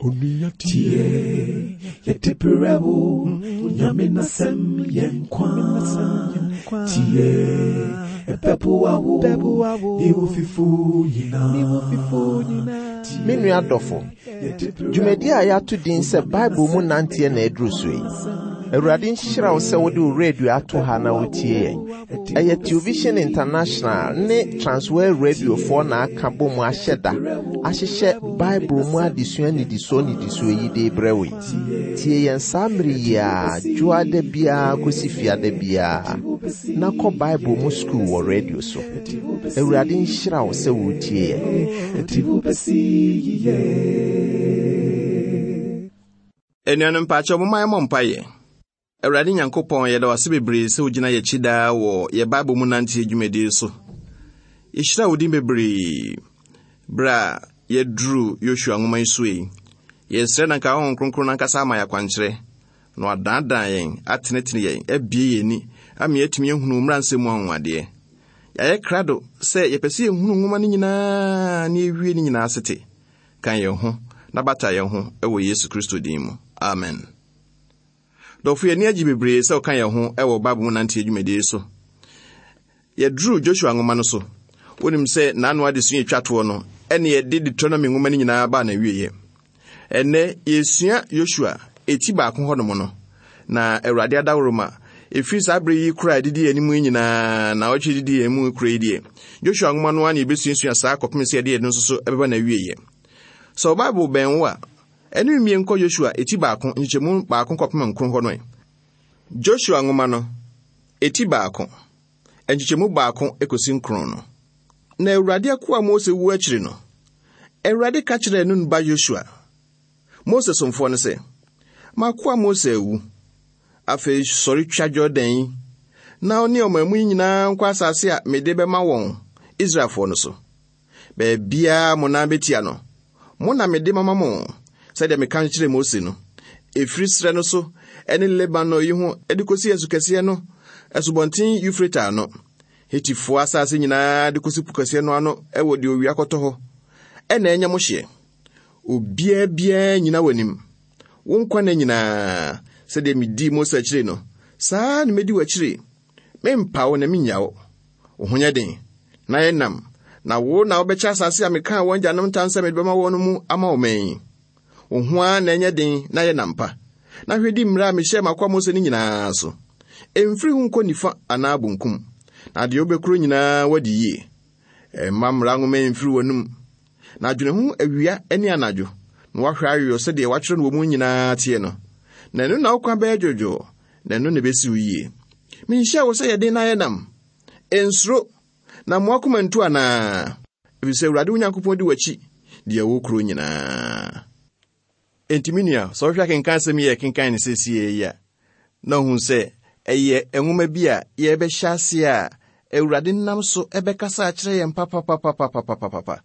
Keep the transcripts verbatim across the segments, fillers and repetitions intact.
Tie, yɛde brɛ wo, Nyame n'asɛm yɛ nkwa. Tie, ɛbɛboa wo, ne wo fifo nyinaa. Me nua dɔfo, dwumadi a yɛato din sɛ Bible mu nanteɛ na aduru so yi. Awurade nhyira wo sɛ wode wo radio ato ha na wotie yɛn. Ɛyɛ Television International ne Transworld Radiofoɔ na aka bɔ mu ahyɛ da ahyehyɛ Bible mu adesua nnidisoɔ nnidisoɔ yi de brɛ wo yi. Tie yɛn saa mmere yi a dwoada biara kɔsi fiada biara na kɔ Bible mu sukuu wɔ radio so. Awurade nhyira wo sɛ wotie yɛn. Ɛde wo bɛsi yiye. Anuanom mpaakyɛw momma yɛmmɔ mpaeɛ. Awurade Nyankopɔn, yɛda wo ase bebree sɛ wogyina yɛn akyi daa wɔ yɛ Bible mu nanteɛ dwumadie so. Yɛhyira wo din bebree berɛ a yɛduru Yosua nwoma yi so yi. Yɛsrɛ na nka Honhom Kronkron no ankasa ama yɛ akwankyerɛ na wadaadaa yɛn, atenetene yɛn, abue yɛn ani ama yɛatumi ahunu mmara nsɛm mu anwanwadeɛ. Yɛayɛ krado sɛ yɛpɛ sɛ yɛhunu nwoma no nyinaa na yɛwie ne nyinaa asete. Ka yɛn ho na bata yɛn ho wɔ Yesu Kristo din mu. Amen. Dɔfo, yɛn ani agye bebree sɛ ɔka yɛn ho wɔ Bible mu nanteɛ dwumadie so. Yɛduru Joshua nwoma no so. Wonim sɛ n'ano adesua etwa toɔ no, ɛne yɛde Deuteronomy nwoma no nyinaa baa n'awieeɛ. Ɛnnɛ, yɛsua Joshua eti baako hɔnom no, na Awurade adaworoma ɛfiri saa bere yi kora a ɛdidi yɛn anim yi nyinaa na ɔtwe didi yɛn mu kora yi deɛ, Joshua nwoma no ara na yɛbɛsuasua saa kɔpem sɛ yɛde yɛn no nso so ɛbɛba n'awieeɛ. Sɛ wo Bible bɛn wo a, ɛne mmie nkɔ Joshua eti baako nkyekyɛmu baako kɔpem nkron hɔ no ɛ. Joshua nwoma no, eti baako, nkyekyɛmu baako ekosi nkron no. Na Awurade akoa Mose wu akyiri no, Awurade ka kyerɛɛ Nun ba Joshua, Mose somfoɔ no sɛ, M'akoa Mose awu. Afei sɔre twa Jordan yi, na wo ne ɔman mu yi nyinaa nkɔ asase a mede bɛma wɔn, Israelfoɔ no so. Baabiara mo nan betia no, mo na mede mama mo, sɛdeɛ meka kyerɛɛ Mose no. Ɛfiri serɛ no so ne Lebanon yi ho de kɔsi asu kɛseɛ no, asubɔnten Eufrate ano, Hetifoɔ asase nyinaa de kɔsi po kɛseɛ no ano wɔ deɛ owia kɔtɔ hɔ, ɛna ɛnyɛ mo hyeɛ. Obiara biara nyina w'anim. Wo nkwa nna nyinaa, sɛdeɛ medii Mose akyire no, saa na medi w'akyire. Mempa wo na mennya wo. Wo ho nyɛ den, na yɛ nam, na wo na wobɛkyɛ asase a mekaa wɔn agyanom ntam sɛ mede bɛma wɔn no mu ama wo man yi. Wo ho ara na ɛnyɛ den na yɛ nam pa, na hwɛ di mmara a mehyɛɛ m'akoa Mose no nyinaa so. Ɛmfiri ho nkɔ nifa anaa bonkum, na deɛ wobɛkuro nyinaa wadi yie. Ɛmma mmara nwoma yi mfiri w'anom, na dwene ho awia ne anadwo, na woahwɛ ayɔ sɛdeɛ wɔatwerɛ no wɔ mu nyinaa teɛ no. Na ɛno na wo kwan bɛyɛ dwoodwoo, na ɛno na ɛbɛsi wo yie. Menhyɛɛ wo sɛ yɛ den na yɛ nam. Nsuro, na mmoa akoma ntu anaa? Ɛfiri sɛ Awurade wo Nyankopɔn di w'akyi deɛ ɛwɔ kuro nyinaa. Enti me nua, sɛ wohwɛ akenkan asɛm yi a yɛkenkan no seesei yi a, na ohu sɛ ɛyɛ nwoma bi a yɛbɛhyɛ ase a Awurade nam so ɛbɛkasa akyerɛ yɛn papapapapapapapa.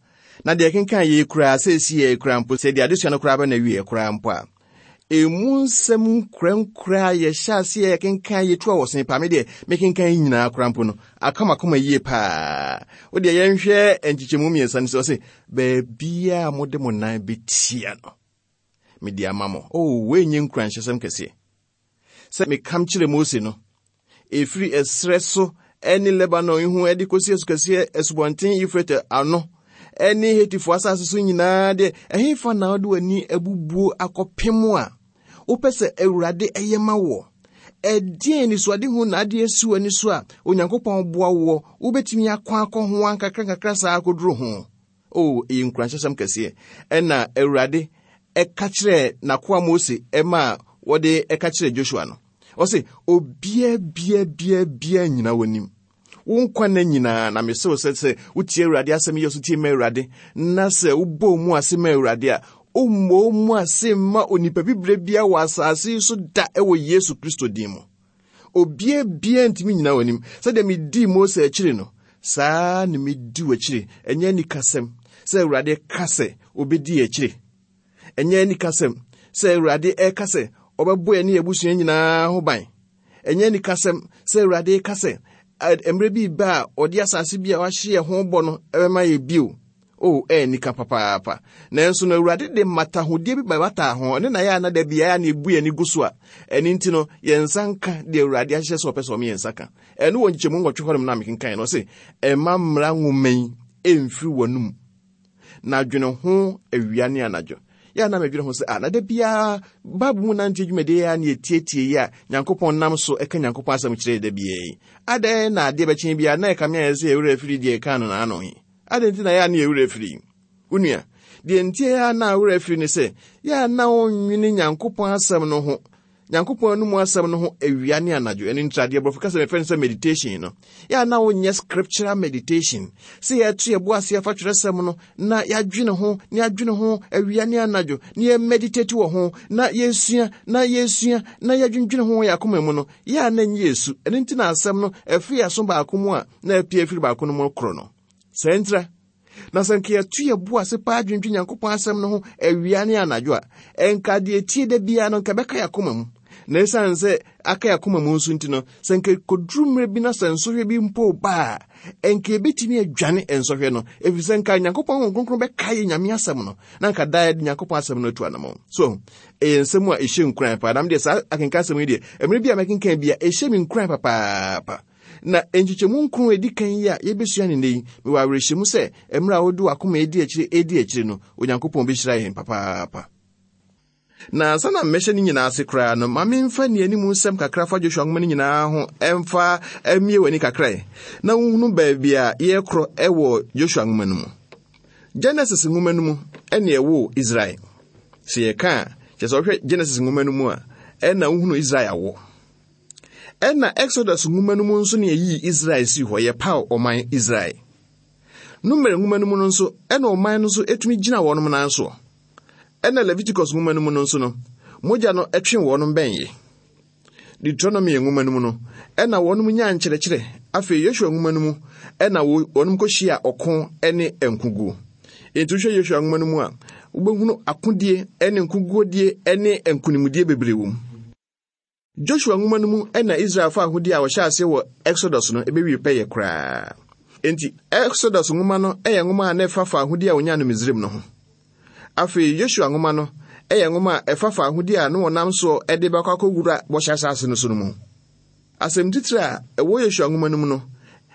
Na deɛ yɛkenkan yɛ koraa seesei yɛ koraa mpo, sɛ deɛ adesua no koraa bɛ na wie koraa mpo a, emu nsɛm nkorankora a yɛhyɛ ase a yɛkenkan yɛtu a wɔsen pa, me deɛ mekenkan yi nyinaa koraa mpo no, aka m'akoma yie paa. Wo deɛ yɛnhwɛ nkyekyɛmu mmiɛnsa no sɛ ɔse, baabiara a mode mo nan bɛtia no, mede ama mo. Oh, wei nyɛ nkuranhyɛsɛm kɛseɛ. Sɛ mekam kyerɛ Mose no, ɛfiri ɛserɛ so ɛne Lebanon yi ho ɛde kɔsi asu kɛseɛ asubɔnten Eufrate ano ɛne Hetifoɔ asase so nyinaa deɛ, ɛhefa na wode w'ani abubuo akɔpem a wopɛ sɛ Awurade ɛyɛ ma woɔ? Ɛdeɛn anisoadehu na ade asi w'ani so a Onyankopɔn boa woɔ wobɛtumi akɔ akɔ ho ankakra nkakra saa akɔduru ho? O, ɛyɛ nkuranhyɛsɛm kɛseɛ. Ɛna Awurade ɛka kyerɛɛ n'akoa Mose ɛma a wɔde ɛka kyerɛɛ Joshua no. Ɔse, obiara bia bia bia nyina w'anim. Wo nkwa nna nyinaa, na mese wo sɛ, sɛ wotie Awurade asɛm yi, so tie ma Awurade, na sɛ wobɔ wo mu ase ma Awurade a, wommɔ wo mu ase mma onipa bibire bia wɔ asase yi so da ɛwɔ Yesu Kristo din mu. Obiara bia ntumi nyina w'anim. Sɛdeɛ medii Mose akyiri no, saa na medi w'akyiri. Ɛnyɛ anikasɛm sɛ Awurade ka sɛ obɛdi akyiri. Ɛnyɛ anikasɛm sɛ Awurade ɛka sɛ ɔbɛbɔ yɛn ne yɛn abusua nyinaa ho ban. Ɛnyɛ anikasɛm sɛ Awurade ka sɛ, ɛ, mmerɛ bi ba a ɔde asase bi a wahye yɛn ho bɔ no ɛbɛma yɛ bio. O, ɛyɛ nika papaapa. Nanso no Awurade de mmatahodie bi bɛbataa ho, ɛno na yɛ a na da biara na ebu yɛn ani gu so a, ɛno nti no, yɛn nsa nka deɛ Awurade ahyehyɛ sɛ ɔpɛ sɛ ɔma yɛn nsa ka. Ɛno wɔ nkyɛmu nwɔtwe hɔnom na mekenkan no, ɔse, ɛmma mmara nwoma yi ɛmfiri w'anom, na dwene ho awia ne anadwo. Yɛ na medwene ho sɛ, ah, na da biara Bible mu nante dwumadie a na yɛtietie yi a Nyankopɔn nam so ɛka Nyankopɔn asɛm kyerɛ da biara yi. Adɛn na adeɛ bɛkyɛn biara na ɛka me ayɛ sɛ yɛwerɛ afiri deɛ ɛka no n'ano yi? Adɛn nti na yɛ a na yɛwerɛ afiri? Wo nua, deɛ nti a na werɛ afiri ne sɛ, yɛ a na wonnwene Nyankopɔn asɛm no ho, Nyankopɔn anom asɛm no ho awia ne anadwo. Ɛno nti adeɛ borɔfo kasa mefrɛ no sɛ meditation no. Yɛ a na wonyɛ scriptural meditation, sɛ yɛto yɛbo ase afa twerɛsɛm no na yɛadwene ho, na yɛadwene ho awia ne anadwo, na yɛmeditate wɔ ho, na yɛsua, na yɛsua, na yɛdwendwene ho wɔ yɛn akoma mu no, yɛ a na nyɛ esu. Ɛno nti na asɛm no ɛfiri aso baako mu a na apue afiri baako no mu korɔ no. Sɛ ntira, na sɛ nka yɛto yɛ bo ase paa dwendwen Nyankopɔn asɛm no ho awia ne anadwo a, ɛnka deɛ tie da biara no nka bɛka yɛ akoma mu. Na ɛsiane sɛ aka yɛ akoma mu nso nti no, sɛ nka kɔduru mmerɛ bi na sɛ nsɔhwɛ bi mpo ba a, ɛnka yɛbɛtumi adwane nsɔhwɛ no, ɛfiri sɛ nka Nyankopɔn Honhom Kronkron bɛka yɛ Nyame asɛm no, na nka daa yɛde Nyankopɔn asɛm no atu anammɔn. So, ɛyɛ nsɛm a ɛhyɛ nkuran paa. Na medeɛ saa akenka asɛm yi deɛ, mmerɛ bi a mɛkenkan bi a, ɛhyɛ me nkuran papaapa. Na nkyekyɛmu nkron a ɛdi kan yi a yɛbɛsua ne nnɛ yi, mewɔ awerɛhyɛmu sɛ mmerɛ a wode w'akoma edi akyire edi akyire no, Onyankopɔn bɛhyira yɛn papaapa. Na ansa na mmɛhyɛ ne nyinaa ase koraa no, ma memfa nea anim nsɛm kakra fa Joshua nwoma no nyinaa ho ɛmfa mmie w'ani kakra yi, na wohunu baabi a yɛrekorɔ ɛwɔ Joshua nwoma no mu. Genesis nwoma no mu ɛne ɛwɔ Israel. Sɛ yɛka a, kyerɛ sɛ wohwɛ Genesis nwoma no mu a, ɛna wohunu Israel awo. Ɛna Exodus nwoma no mu nso ne yɛyii Israel sii hɔ, yɛpaw ɔman Israel. Numeri nwoma no mu no nso, ɛna ɔman no nso etumi gyina wɔn nan so. Ɛna Leviticus nwoma no mu no nso no, mogya no ɛtwe wɔn bɛn yɛ. Deuteronomy nwoma no mu no, ɛna wɔn nyaa nkyerɛkyerɛ. Afei Yosua nwoma no mu, ɛna wɔn kɔhyia ɔko ne nkoguo. Enti wohwɛ Yosua nwoma no mu a, wobɛhunu akodie ne nkoguodie ne nkonimdie bebree wɔ mu. Joshua nwoma no mu ɛna Israelfo ahodie a wɔhyɛ ase wɔ Exodus no ɛbɛwie pɛyɛ koraa. Enti Exodus nwoma no ɛyɛ nwoma a na ɛfa fa ahodie a wɔnyaa no Misraim no ho. Afei Joshua nwoma no ɛyɛ nwoma a ɛfa fa ahodie a na wɔnam soɔ ɛde bɛkɔ akɔwura bɔhyɛ asase no so no mu. Asɛm titire a ɛwɔ Joshua nwoma no mu no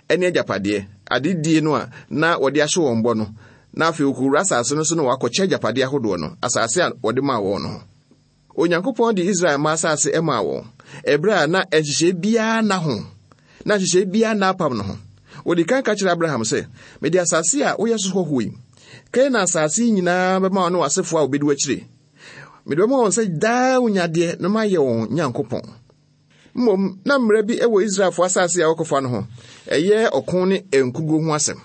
ɛne agyapadeɛ, adedie no a na wɔde ahyɛ wɔn bɔ no, na afei wɔkɔwura asase no so na wɔakɔkyɛ agyapadeɛ ahodoɔ no, asase a wɔde maa wɔn no ho. Onyankopɔn de Israel mma asase maa wɔn, ɛberɛ a na nhyehyɛe biara nna ho, na nhyehyɛe biara nna apam no ho. Wɔde kan ka kyerɛ Abraham sɛ, mede asase a woyɛ so hɔhoɔ yi, Kanaan asase yi nyinaa bɛma wo ne w'asefoɔ a wɔbɛdi w'akyire. Mede bɛma wɔn sɛ daa wonyadeɛ na mayɛ wɔn Nyankopɔn. Mmom, na mmara bi wɔ Israelfoɔ asase a wɔkɔfa no ho, ɛyɛ ɔko ne nkuguo ho asɛm.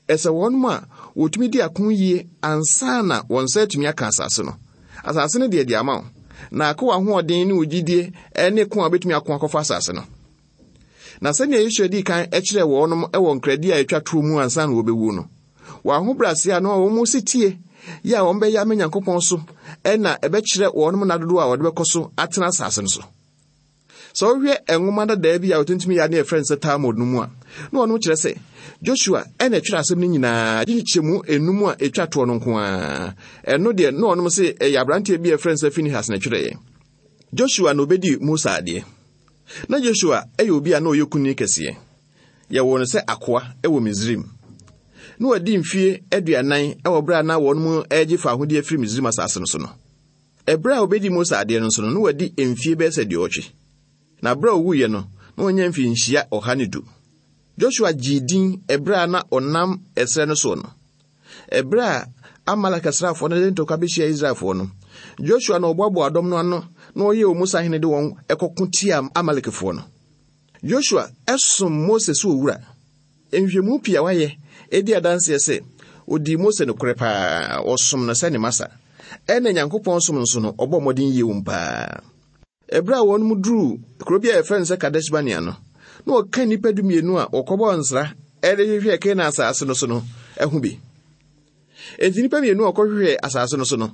Ɛsɛ wɔn a wɔtumi di ako yie ansa na wɔn nsa atumi aka asase no. Asase no deɛ de ama wo, na akɔ w'ahoɔden ne wo gyidie ne ko a wobɛtumi ako akɔfa asase no. Na sɛnea Yosua dii kan kyerɛɛ wɔnom wɔ nkradi a ɛtwa toɔ mu ansa na wɔbɛwu no, wɔn ahobrɛase a na wɔn si tie yɛ a wɔn bɛyɛ ama Nyankopɔn so ɛna ɛbɛkyerɛ wɔnom nna dodoɔ a wɔde bɛkɔ so atena asase no so. Sɛ wohwɛ nwoma dadaa bi a wɔtumi yɛ ne yɛfrɛ no sɛ Talmud no mu a, na wɔnom kyerɛ sɛ Joshua ɛna ɛtwerɛ asɛm no nyinaa, gye nkyɛmu enum a ɛtwa toɔ no nko ara. Ɛno deɛ na wɔnom se ɛyɛ aberanteɛ bi a yɛfrɛ no sɛ Finehas na ɛtwerɛeɛ. Joshua na obɛdi Musa adeɛ. Na Joshua ɛyɛ obi a na ɔyɛ kunini kɛseɛ. Yɛwoo no sɛ akoa ɛwɔ Misraim. Na wadi mfie aduanan ɛwɔ berɛ a na wɔn mu ɛregye fa ahodie afiri Misraim asase no so no. Ɛberɛ a obɛdi Musa adeɛ no nso no, na wadi mfie bɛyɛ sɛ aduɔwɔtwe. Na berɛ a owuiɛ no, na wanya mfinhyia ɔha ne du. Joshua gyee din ɛberɛ a na ɔnam ɛserɛ no soɔ no. Ɛberɛ a Amalek asraafoɔ no de ntɔkwa bɛhyia Israelfoɔ no, Joshua na ɔboaboa dɔm no ano na ɔyɛɛ wɔn mu sahene de wɔn ɛkɔko tia Amalekfoɔ no. Joshua ɛsom Mose sɛ owura. Nhwehwɛmu pii a wayɛ edi adanseɛ sɛ odii Mose nokorɛ paa, ɔsom no sɛ ne masa. Ɛna Nyankopɔn som nso no, ɔbɔ mmɔden yie wɔ mu paa. Ɛberɛ a wɔn mu duruu kuro bi a yɛfrɛ no sɛ Kadesh Barnea no, na wɔka nnipa dumienu a wɔkɔbɔɔ nsra ɛde hwehwɛɛ Kanaan asase no so no ɛho bi. Enti nnipa mmienu a wɔkɔhwehwɛɛ asase no so no,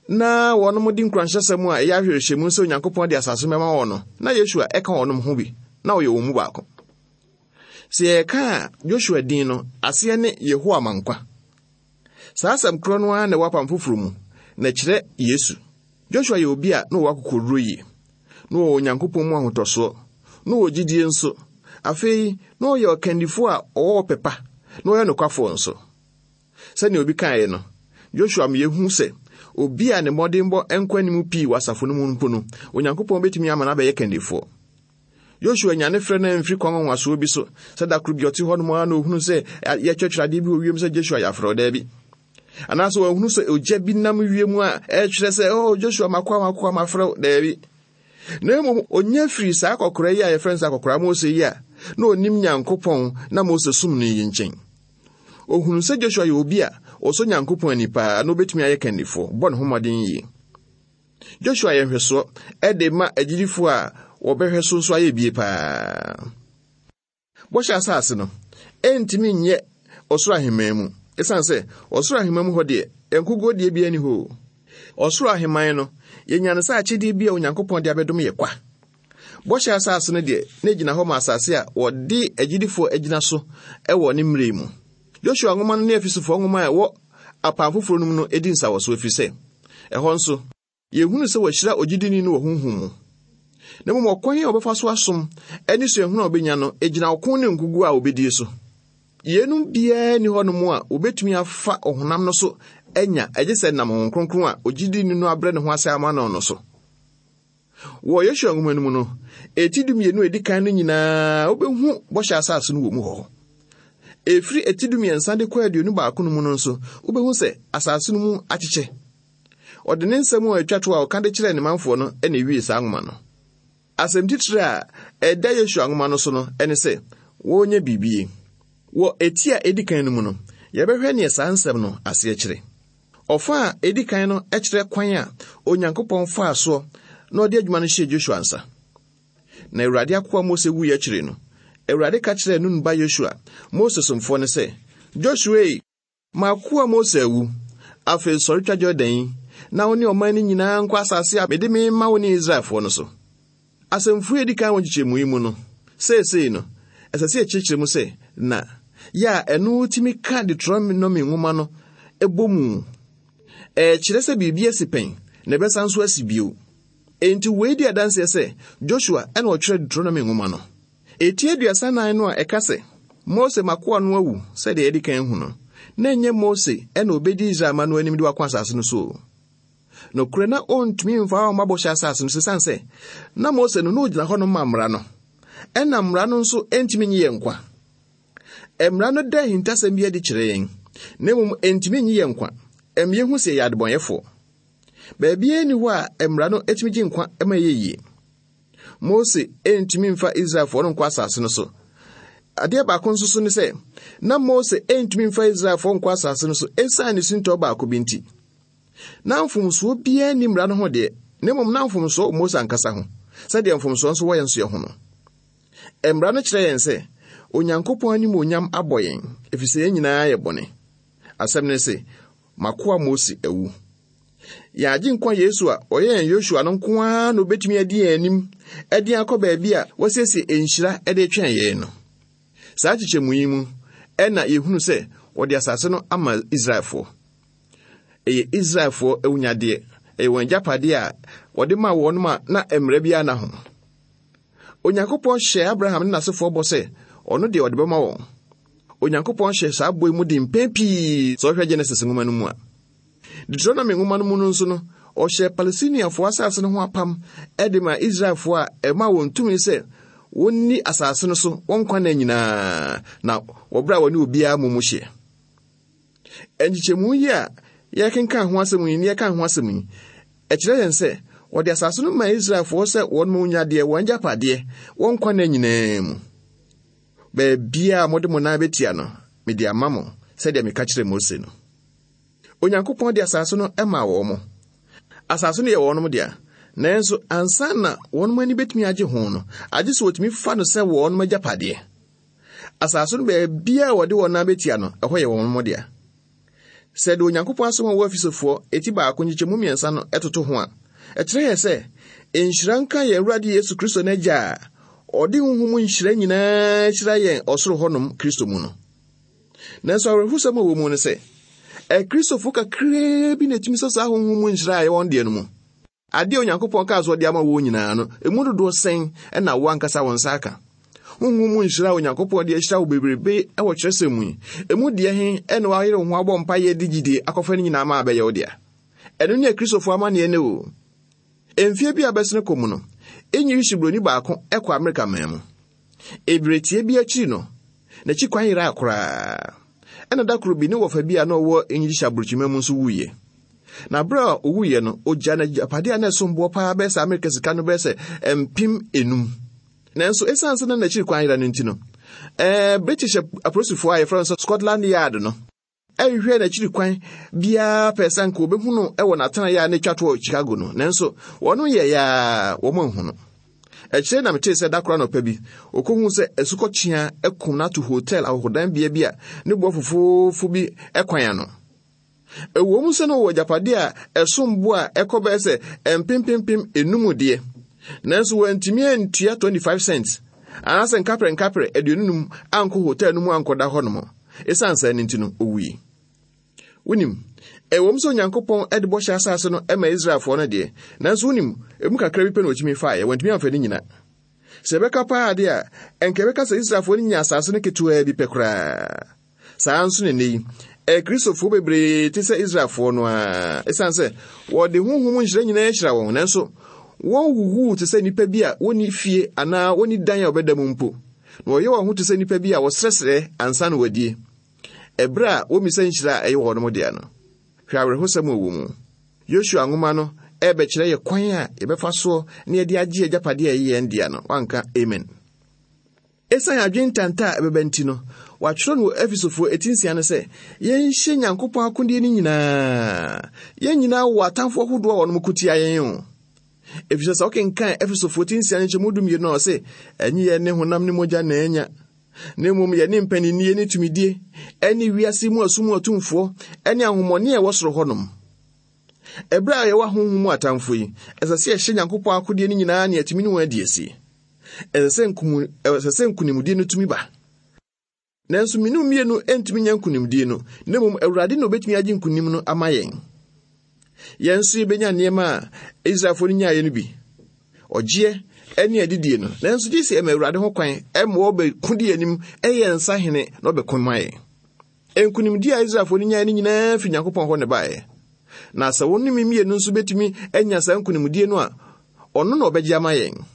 na wɔn de nkuranhyɛsɛm a ɛyɛ ahwehwɛmu sɛ Onyankopɔn de asase no bɛma wɔn no, na Yosua ɛka wɔn ho bi, na ɔyɛ wɔn mu baako. Sɛ yɛka a Joshua din no, aseɛ ne Yehowa ma nkwa. Saa asɛm korɔ no ara na ɛwɔ apam foforɔ mu, na ɛkyerɛ Yesu. Joshua yɛ obi a na ɔwɔ akokoduro yie, na ɔwɔ Onyankopɔn mu ahotɔsoɔ, na ɔwɔ gyidie nso. Afei, na ɔyɛ ɔkandifoɔ a ɔwɔ ɔpɛ pa, na ɔyɛ nokwafoɔ nso. Sɛnea obi kaeɛ no, Joshua ma yɛhu sɛ obi a ne mmɔdenbɔ nkɔ anim pii wɔ asafo no mu mpo no, Onyankopɔn bɛtumi ama no abɛyɛ kandifoɔ. Joshua nya ne frɛ no amfiri kwan nwanwasoɔ bi so, sɛ da koro bi ɔte hɔ nom ara na ohunu sɛ yɛtwerɛtwerɛ adeɛ bi wɔ wiem sɛ Joshua yɛ afrɛ daabi. Anaasɛ wahunu sɛ ogya bi nam wiem a ɛkyerɛ sɛ, oh, Joshua makoa makoa mafrɛ wo, daabi. Na mmom onya firi saa akɔkora yi a yɛfrɛ no sɛ akɔkora Mose yi a na onim Nyankopɔn na Mose som no yi nkyɛn. Ohunu sɛ Joshua yɛ obi a ɔsɔ Nyankopɔn ani paa na obetumi ayɛ kandifoɔ, bɔ ne ho mmɔden yie. Joshua yɛ nhwɛsoɔ ɛde ma agyidifoɔ a wɔbɛhwɛ so nso ayɛ bie paa. Bɔhyɛ asase no, ɛntumi nyɛ ɔsoro ahemman mu, ɛsiane sɛ ɔsoro ahemman mu hɔ deɛ, nkoguo deɛ bi ani hɔ. Ɔsoro ahemman no, yɛnya no sɛ akyɛdeɛ bi a Onyankopɔn de abɛdom yɛ kwa. Bɔhyɛ asase no deɛ, na egyina hɔ ma asase a wɔde agyidifoɔ agyina so ɛwɔ ne mmerɛ mu. Joshua nwoma no ne Efesofoɔ nwoma a ɛwɔ apam foforɔ no mu no edi nsawɔso ɛfiri sɛ, ɛhɔ nso, yɛhunu sɛ wɔahyira ogyidini no wɔ honhom mu. Na mmom ɔkwan a wɔbɛfa so asom ne suahunu a wɔbɛnya no egyina ɔko ne nkoguo a wɔbɛdie so. Yeinom biara nni hɔnom a wɔbɛtumi afa ɔhonam no so anya agye sɛ nam Honhom Kronkron a ogyidini no abrɛ ne ho ase ama no no so. Wɔ Yosua nwoma no mu no, eti dumienu a edi kan no nyinaa wobɛhu bɔhyɛ asase no wɔ mu hɔ. Efiri eti dumiɛnsa de kɔ aduonu baako no mu no nso, wobɛhu sɛ asase no mu akyekyɛ. Ɔde ne nsɛm a atwa to a ɔka de kyerɛɛ ne manfoɔ no na ewie saa nwoma no. Asɛm titire a ɛda Yosua nwoma no so no ne sɛ wɔnyɛ biribi. Wɔ eti a edi kan no mu no, yɛbɛhwɛ nea saa nsɛm no aseɛ kyerɛ. Ɔfa a edi kan no kyerɛ kwan a Onyankopɔn faa soɔ na ɔde adwuma no hyɛɛ Joshua nsa. Na Awurade akoa Mose wuiɛ akyiri no, Awurade ka kyerɛɛ Nun ba Yosua, Mose somfoɔ no sɛ, Joshua, m'akoa Mose awu. Afei sɔre twa Jordan yi, na wo ne ɔman no nyinaa nkɔ asase a mede me ma wo ne Israelfoɔ no so. Asɛmfua a edi kan wɔ nkyekyɛmu yi mu no, seesei no, ɛsɛ sɛ yɛkyerɛkyerɛ mu sɛ, na yɛ a ɛno tumi ka Deuteronomy nwoma no ɛbɔ mu. Ɛkyerɛ sɛ biribi asi pɛn, na ɛbɛsan nso asi bio. Enti wei di adanseɛ sɛ Joshua ɛna ɔtwerɛ Deuteronomy nwoma no. Eti aduasa nan no a ɛka sɛ Mose makoa no awu sɛdeɛ yɛde kan hu no, na ɛnyɛ Mose ɛna obedi Israel ma no anim de wakɔ asase no so. Nokorɛ na ɔntumi mfa wɔn abɔhyɛ asase no so esiane sɛ na Mose no na ogyina hɔ no ma mmara no. Ɛna mmara no nso ntumi nyi yɛn nkwa. Mmara no da ahintasɛm bi adi kyerɛ yɛn, na mmom ntumi nyi yɛn nkwa. Ɛma yɛhu sɛ yɛyɛ adebɔnyɛfoɔ. Baabiara nni hɔ a mmara no etumi gye nkwa ma ɛyɛ yie. Mose ntumi mfa Israelfoɔ no nkɔ asase no so. Adeɛ baako nso so ne sɛ, na Mose ntumi mfa Israelfoɔ nkɔ asase no so esiane ne sintɔ baako bi nti. Na mfomsoɔ biara nni mmara no ho deɛ, na mmom na mfomsoɔ wɔ Mose ankasa ho, sɛdeɛ mfomsoɔ nso wɔ yɛn nso yɛn ho no. Mmara no kyerɛ yɛn sɛ, Onyankopɔn animuonyam abɔ yɛn, ɛfiri sɛ yɛn nyinaa yɛ bɔne. Asɛm no ne sɛ, m'akoa Mose awu. Yɛn agyenkwa Yesu a ɔyɛ yɛn Yosua no nko ara na obetumi adi yɛn anim de akɔ baabi a wɔasiesie nhyira de retwɛn yɛn no. Saa kyekyɛmu yi mu ɛna yɛhunu sɛ wɔde asase no ama Israelfoɔ. Ɛyɛ Israelfoɔ awunyadeɛ, ɛyɛ wɔn agyapadeɛ a wɔde maa wɔn a na mmerɛ biara na ho. Onyankopɔn hyɛɛ Abraham ne n'asefoɔ bɔ sɛ ɔno deɛ ɔde bɛma wɔn. Onyankopɔn hyɛ saa bɔ yi mu de mpɛn pii sɛ ɔhwɛ Genesis nwoma no mu a. Deuteronomy nwoma no mu no nso no, ɔhyɛ Palestiniafoɔ asase no ho apam de ma Israelfoɔ a ɛma wɔn tumi sɛ wɔnni asase no so wɔn nkwa nna nyinaa na wɔbrɛ a wɔne obiara mu mu hyeɛ. Nkyekyɛmu yi a yɛkenkan ho asɛm yi ne yɛka ho asɛm yi, ɛkyerɛ yɛn sɛ wɔde asase no ma Israelfoɔ sɛ wɔn mu nyadeɛ, wɔn agyapadeɛ, wɔn nkwa nna nyinaa mu. Baabiara a mode mo nan bɛtia no, mede ama mo, sɛdeɛ meka kyerɛɛ Mose no. Onyankopɔn de asase no maa wɔn mo. Asase no yɛ wɔn dea, nanso ansa na wɔn ani bɛtumi agye ho no, agye sɛ wɔtumi fa no sɛ wɔn agyapadeɛ. Asase no baabiara a wɔde wɔn nan bɛtia no, ɛhɔ yɛ wɔn dea. Sɛ de Onyankopɔn asɛm a ɛwɔ Efesofoɔ eti baako nkyekyɛmu mmiɛnsa no ɛtoto ho a, ɛkyerɛ yɛn sɛ nhyira nka yɛn Awurade Yesu Kristo n'agya a Ɔde honhom nhyira nyinaa hyira yɛn ɔsoro hɔnom Kristo mu no. Nanso awerɛhosɛm a ɛwɔ mu ne sɛ, Akristofo kakraa bi na ɛtumi sɛ saa honhom mu nhyira a ɛwɔ wɔn deɛ no mu. Adeɛ a Onyankopɔn kaa so ɔde ama wɔn nyinaa no, emu dodoɔ sɛn na wo ankasa wɔn nsa aka? Honhom mu nhyira a Onyankopɔn de ahyira wo bebrebe wɔ kyerɛsɛm mu yi, emu deɛ he na wayere wo ho abɔ mpaeɛ de gyidie akɔfa no nyinaa ma abɛyɛ wo dea? Ɛno ne Akristofo amanneɛ ne o. Mfie bi a bɛsene kɔ mu no, English buroni baako kɔ Amerika man mu. Ebiretie bi akyiri no, n'akyi kwan yeraa koraa. Ɛna da koro bi ne wɔfa bi a na ɔwɔ English aburokyima mu nso wuiɛ. Na bere a owuiɛ no, ogya n'agyapadeɛ a na ɛsom boɔ paa bɛyɛ sɛ Amerika sika no bɛyɛ sɛ mpem enum. Nanso esiane sɛ na n'akyiri kwan yera no nti no, ɛɛ British apolisifoɔ a yɛfrɛ no sɛ Scotland Yard no ɛhwehwɛ n'akyiri kwan biara pɛ sɛ anka wɔbɛhu no wɔ n'atenaeɛ a na etwa to wɔ Chicago no, nanso wɔn yɛ yaa wɔn anhu no. Akyire na metee sɛ da koro anɔpa bi, okohuu sɛ asukɔkyea akum no ato hotel ahɔhodan bea bi a ne boɔ fofoofo bi kwan ano. Ɛwɔ mu sɛ na ɔwɔ agyapadeɛ a ɛsom bo a ɛkɔ bɛyɛ sɛ mpempempem enum deɛ, nanso wantumi antua twenty-five cents anaasɛ nkaprɛ nkaprɛ aduonu num ankɔ hotel no mu ankɔda hɔnom. Esiane saa no nti no, owui. Wonim, ɛwɔ mu sɛ Onyankopɔn de bɔhyɛ asase no ma Israelfoɔ no deɛ, nanso wonim, emu kakra bi pɛ na wɔtumi faeɛ, wɔntumi amfa ne nyina. Sɛ ɛbɛka paa deɛ a, ɛnka ɛbɛka sɛ Israelfoɔ no nya asase no ketewaa bi pɛ koraa. Saa nso na nnɛ yi, Akristofoɔ bebree te sɛ Israelfoɔ no ara, esiane sɛ wɔde honhom nhyira nyinaa ahyira wɔn, nanso wɔn wuwuu te sɛ nnipa bi a wɔnni fie anaa wɔnni dan a wɔbɛda mu mpo, na wɔyɛ wɔn ho te sɛ nnipa bi a wɔsrɛsrɛ ansa na wɔadie. Ɛberɛ a wɔmmisa nhyira a ɛyɛ wɔn dea no, hwɛ awerɛhosɛm a ɛwɔ mu. Yosua nwoma no ɛrebɛkyerɛ yɛ kwan a yɛbɛfa soɔ na yɛde agye agyapadeɛ a ɛyɛ yɛn dea no. Wanka amen. Esiane adwene ntanta a ɛbɛba nti no, wɔatwerɛ no wɔ Efesofoɔ eti nsia no sɛ, yɛnhyɛ Nyankopɔn akodeɛ no nyinaa. Yɛn nyinaa wɔ atamfoɔ ahodoɔ a wɔnom ko tia yɛn o. Efisɛ sɛ wokenkan Efesofoɔ ti nsia no nkyɛmu dumienu no, ɔse, ɛnyɛ yɛn ne honam ne mogya na anya, na mmom yɛne mpaninnie ne tumidie, ɛne wiase mu asum atumfoɔ, ɛne ahomɔne a ɛwɔ soro hɔnom. Ɛberɛ a yɛwɔ ahonhom mu atamfo yi, ɛsɛ sɛ yɛhyɛ Nyankopɔn akodeɛ no nyinaa ne yɛtumi ne wɔn adi asi. Ɛsɛ sɛ nkumu, ɛsɛ sɛ nkonimdie no tumi ba. Nanso mmienu mmienu ntumi nya nkonimdie no, na mmom Awurade na obetumi agye nkonim no ama yɛn. Yɛn nso yɛbɛnya nneɛma a Israelfoɔ no nyaeɛ no bi, ɔgyeɛ ne adidie no. Nanso gye sɛ ɛma Awurade ho kwan ɛma ɔbɛko di anim, ɛyɛ nsahene na ɔbɛko ma yɛn. Nkonimdie a Israelfoɔ no nyaeɛ no nyinaa fi Nyankopɔn hɔ ne baeɛ. Na sɛ wɔn ne mmienu nso bɛtumi anya saa nkonimdie no a, ɔno na ɔbɛgye ama yɛn.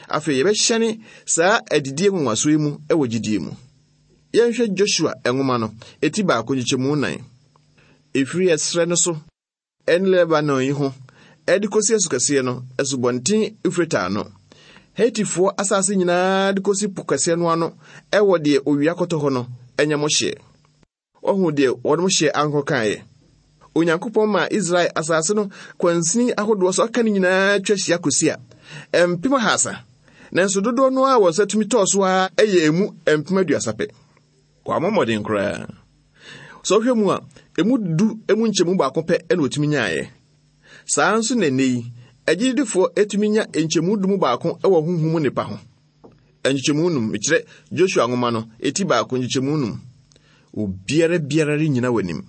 Afei yɛbɛhyɛne saa adidie nwanwasoɔ yi mu wɔ gyidie mu. Yɛnhwɛ Joshua nwoma no, eti baako nkyekyɛmu nnan. Ɛfiri ɛserɛ no so ɛne Lebanon yi ho ɛde kɔsi asukɛseɛ no, asubɔnten Eufrate ano. Hetifoɔ asase nyinaa de kɔsi po kɛseɛ no ano ɛwɔ deɛ owia kɔtɔ hɔ no, ɛnyɛ mo hyeɛ. Ɔhu deɛ wɔnom hyeɛ ankɔ kaeɛ. Onyankopɔn maa Israel asase no kwansini ahodoɔ so aka ne nyinaa twa hyia kɔsi a mpem ahasa. Nanso dodoɔ no a wɔn nsa tumi tɔɔ so ara ɛyɛ emu mpem aduasa pɛ. Wɔammɔ mmɔden koraa. Sɛ wohwɛ mu a, emu du emu nkyɛmu baako pɛ na wɔtumi nyaeɛ. Saa nso na nnɛ yi, agyidifoɔ etumi nya nkyɛmu du mu baako wɔ honhom mu nnipa ho. Nkyɛmu num, mekyerɛ Joshua nwoma no, eti baako nkyɛmu num. Obiara biara rennyina w'anim.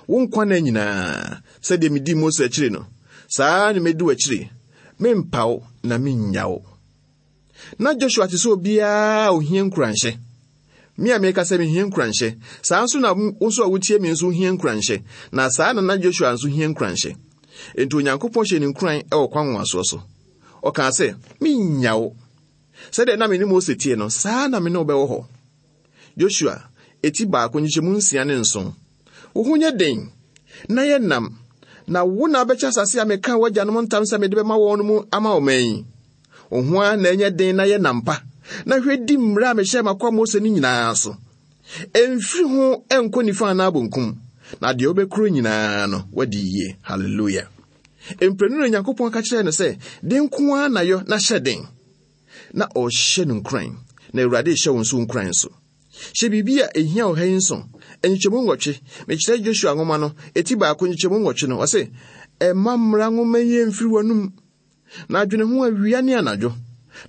Wo nkwa nna nyinaa, sɛdeɛ medii Mose akyiri no, saa na medi w'akyiri. Mempa wo na mennya wo. Na Joshua te sɛ obiara a ohia nkuranhyɛ. Me a meka sɛ mehia nkuranhyɛ, saa nso na wo nso a wotie me nso hia nkuranhyɛ. Na saa na na Joshua nso hia nkuranhyɛ. Enti Onyankopɔn hyɛ ne nkuran wɔ kwan nwanwasoɔ so. Ɔkaa sɛ, mennya wo. Sɛdeɛ na me ne Mose tie no, saa na me ne wo bɛwɔ hɔ. Joshua, eti baako nkyekyɛmu nsia ne nson. Wo ho nyɛ den, na yɛ nam, na wo na wobɛkyɛ asase a meka w'agyanom ntam sɛ mede bɛma wɔn no mu ama ɔman yi. Wo ho ara na ɛnyɛ den na yɛ nam pa, na hwɛ di mmara a mehyɛɛ m'akoa Mose no nyinaa so. Ɛmfiri ho ɛnkɔ nifa anaa bonkum, na deɛ wobɛkuro nyinaa no, wadi yie. Hallelujah. Mprenu na Onyankopɔn ka kyerɛɛ no sɛ, den nko ara na yɔ na hyɛ den. Na ɔhyɛ no nkuran, na Awurade hyɛ wo nso nkuran so. Hyɛ biribi a ehia wɔ ha yi nso. Nkyekyɛmu nwɔtwe, mekyerɛ Joshua nwoma no, eti baako nkyekyɛmu nwɔtwe no, ɔse, ɛmma mmara nwoma yi mfiri w'anum, na adwene ho awia ne anadwo,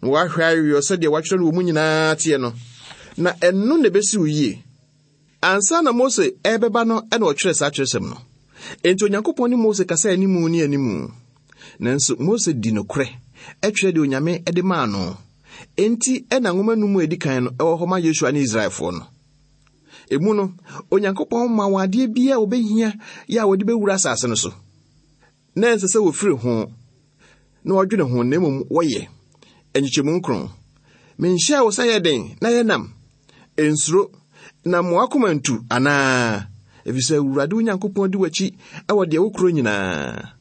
na woahwɛ aweɔ sɛdeɛ wɔatwerɛ no wɔ mu nyinaa teɛ no, na ɛno na ɛbɛsi wo yie. Ansa na Mose ɛrebɛba no ɛna ɔtwerɛ saa kyerɛsɛm no. Enti Onyankopɔn ne Mose kasa animu ne animu. Nanso Mose di nokorɛ, ɛtwerɛ deɛ Onyame de maa no. Enti ɛna nwoma no mu a edi kan no ɛwɔ hɔ ma Yosua ne Israelfoɔ no. Emu no, Onyankopɔn ma wɔn adeɛ biara a wɔbɛhia yɛ a wɔde bɛwura asase no so. Na ɛnsɛ sɛ wɔfiri ho na wɔdwene ho, na mmom wɔyɛ. Nkyekyɛmu nkron. Menhyɛɛ wo sɛ yɛ den na yɛ nam. Nsuro, na mo akoma ntu anaa? Efisɛ Awurade wo Nyankopɔn di w'akyi wɔ deɛ wokuro nyinaa.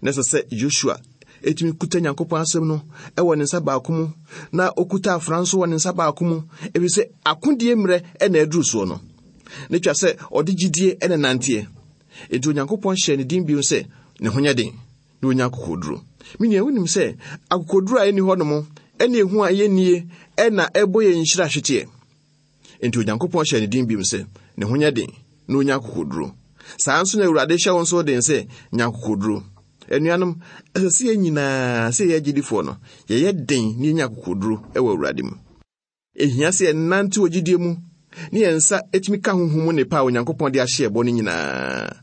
Na ɛsɛ sɛ Yosua etumi kuta Nyankopɔn asɛm no wɔ ne nsa baako mu, na okuta afra nso wɔ ne nsa baako mu, efisɛ akodie mmerɛ na aduru soɔ no. Ne twa sɛ ɔde gyidie na nanteɛ. Enti Onyankopɔn hyɛɛ ne din bio sɛ ne ho nyɛ den na onya akokoduro. Me nua, wonim sɛ akokoduro a ɛnni hɔ nom ɛne ehu a ɛyɛ nie ɛna ɛbɔ yɛn nhyira ahweteɛ. Enti Onyankopɔn hyɛɛ ne din bio sɛ ne ho nyɛ den na onya akokoduro. Saa nso na Awurade hyɛ wo nso den sɛ nya akokoduro. Anuanom, ɛsɛ sɛ yɛn nyinaa sɛ yɛyɛ agyidifoɔ no, yɛyɛ den na yɛnya akokoduro wɔ Awurade mu. Ehia sɛ yɛnante wɔ gyidie mu ne yɛn nsa etumi ka honhom mu nnepa a Onyankopɔn de ahyɛ ɛbɔ no nyinaa.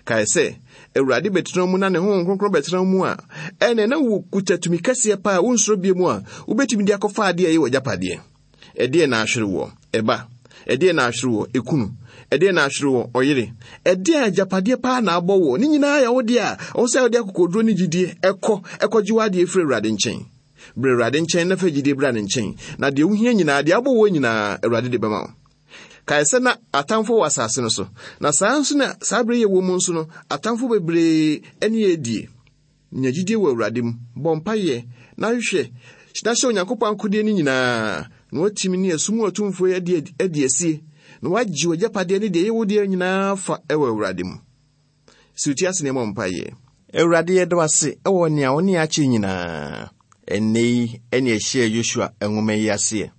Kae sɛ, Awurade bɛtena mu na ne Honhom Kronkron bɛtena mu a, ɛnna na wokuta tumi kɛseɛ paa a wonsuro bie mu a wobɛtumi de akɔfa adeɛ a ɛyɛ w'agyapadeɛ. Ɛdeɛ na ahwere wɔ ɛba, ɛdeɛ na ahwere wɔ ekunu, ɛdeɛ na ahwere wɔ ɔyere, ɛdeɛ agyapadeɛ paa na abɔ wɔ ne nyinaa yɛ wo deɛ a ɔwɔ sɛ wode akokoduro ne gyidie ɛkɔ ɛkɔgye w'adeɛ firi Awurade nkyɛn. Brɛ Awurade nkyɛn na fa gyidie bra ne nkyɛn, na deɛ wohia nyinaa, deɛ abɔ wɔ nyinaa, Awurade de bɛma wo. Kae sɛ na atamfo wɔ asase no so, na saa nso na saa bere yɛ wɔ mu nso no, atamfo bebree ne yɛ die. Nya gyidie wɔ Awurade mu, bɔ mpayɛ, na hwehwɛ, na hyɛ Onyankopɔn akodeɛ no nyinaa, na watumi ne asum atumfoɔ yi adi adi asie, na wagye w'agyapadeɛ ne deɛ ɛyɛ wo deɛ nyinaa fa wɔ Awurade mu. Si wo ti ase na ɛmmɔ mpayɛ. Awurade, yɛda wo ase wɔ nea wo ne yɛn akyɛ nyinaa. Ɛnnɛ yi ɛne ɛhyɛɛ Yosua nwoma yi aseɛ.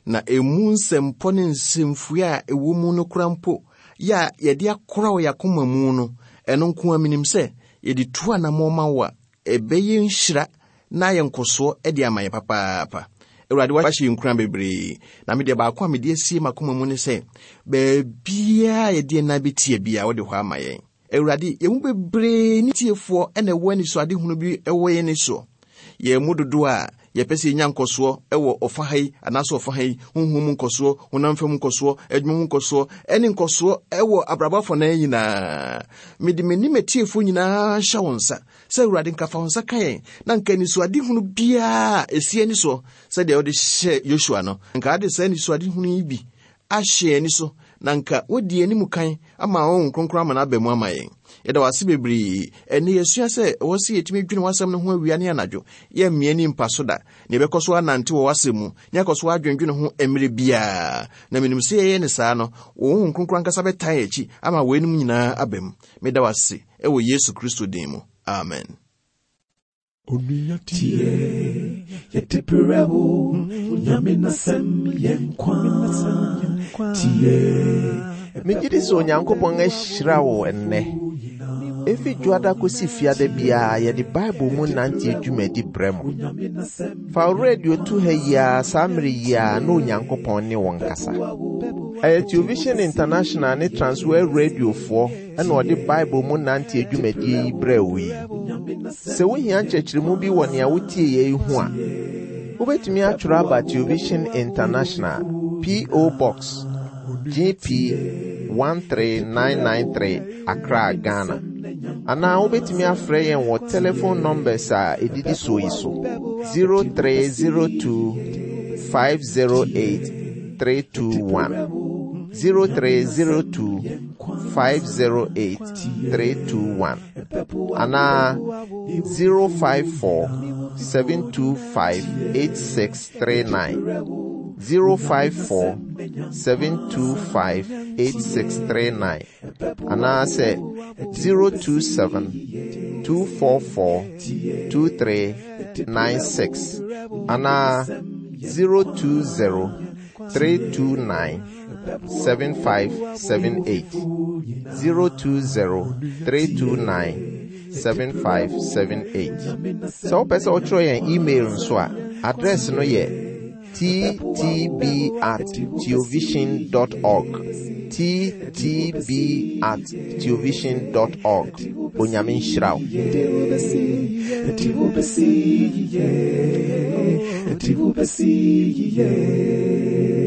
Na emu nsɛmpɔ ne nsɛmfua a ɛwɔ mu no kora mpo yɛ a yɛde akora wɔ yɛn akoma mu no, ɛno nko ara minim sɛ yɛde tu anammɔn ma wo a, ɛbɛyɛ nhyira na ayɛ nkɔsoɔ de ama yɛn papaapa. Awurade, wahyɛ yɛn nkuran bebree. Na me deɛ baako a mede asie m'akoma mu ne sɛ, baabiara a yɛde yɛn nan bɛtia biara, wode hɔ ama yɛn. Awurade, yɛn mu bebree ne tiefoɔ na ɛwɔ anisoadehunu bi wɔ yɛn ani soɔ. Yɛn mu dodoɔ a yɛpɛ sɛ yɛnya nkɔsoɔ wɔ ɔfa ha yi anaasɛ ɔfa ha yi, honhom mu nkɔsoɔ, honam fam nkɔsoɔ, adwuma mu nkɔsoɔ, ɛne nkɔsoɔ wɔ abrabɔ afanan nyinaa. Mede m'anim atiefoɔ nyinaa hyɛ wo nsa sɛ Awurade nka fa wo nsa ka yɛn, na nka anisoadehunu biara a ɛsi ani soɔ sɛdeɛ wode hyɛ Yosua no, nka ade saa anisoadehunu yi bi ahyɛ yɛn ani so, na nka wodi anim kan ama Honhom Kronkron ama no aba mu ama yɛn. Yɛda wo ase bebree. Ɛnnɛ yɛsua sɛ ɛwɔ sɛ yɛtumi dwene w'asɛm no ho awia ne anadwo. Yɛmmea ni mpa so da, na yɛbɛkɔ so anante wɔ w'asɛm mu, na yɛakɔ so adwendwene ho mmerɛ biara. Na menim sɛ yɛyɛ ne saa no, wo Honhom Kronkron ankasa bɛtan yɛn akyi ama weinom nyinaa aba mu. Meda wo ase ɛwɔ Yesu Kristo din mu. Amen. Onua tie, yɛde brɛ wo, Onyame n'asɛm yɛ nkwa. Tie, Megye di sɛ Onyankopɔn ahyira wo ɛnnɛ. Efi dwoada kosi fiada biara yɛde Bible mu nante dwumadi brɛ mo. Fa wo radio to ha yi ara saa mmere yi ara na Onyankopɔn ne wo nkasa. Ɛyɛ Television International ne Transworld Radiofoɔ ɛna ɔde Bible mu nante dwumadie yi brɛ wo yi. Sɛ wohia nkyerɛkyerɛmu bi wɔ nea wotie yɛ yi ho a, wobɛtumi atwerɛ aba Television International, P O. Box G P one three nine nine three, Accra, Ghana. Anaa wobɛtumi afrɛ yɛn wɔ telephone numbers a ɛdidi soɔ yi so: zero three zero two five zero eight three two one, zero three zero two five zero eight three two one, anaa zero five four seven two five eight six three nine, zero five four seven two five eight six three nine, anaasɛ zero two seven two four four two three nine six, anaa zero two zero three two nine seven five seven eight, zero two zero three two nine seven five seven eight. Sɛ wopɛ sɛ wotwerɛ yɛn email nso a, address no yɛ ttb at theovision dot org. ttb at theovision dot org. Onyame nhyira wo. Ɛde wo bɛsi yie, ɛde wo bɛsi yie.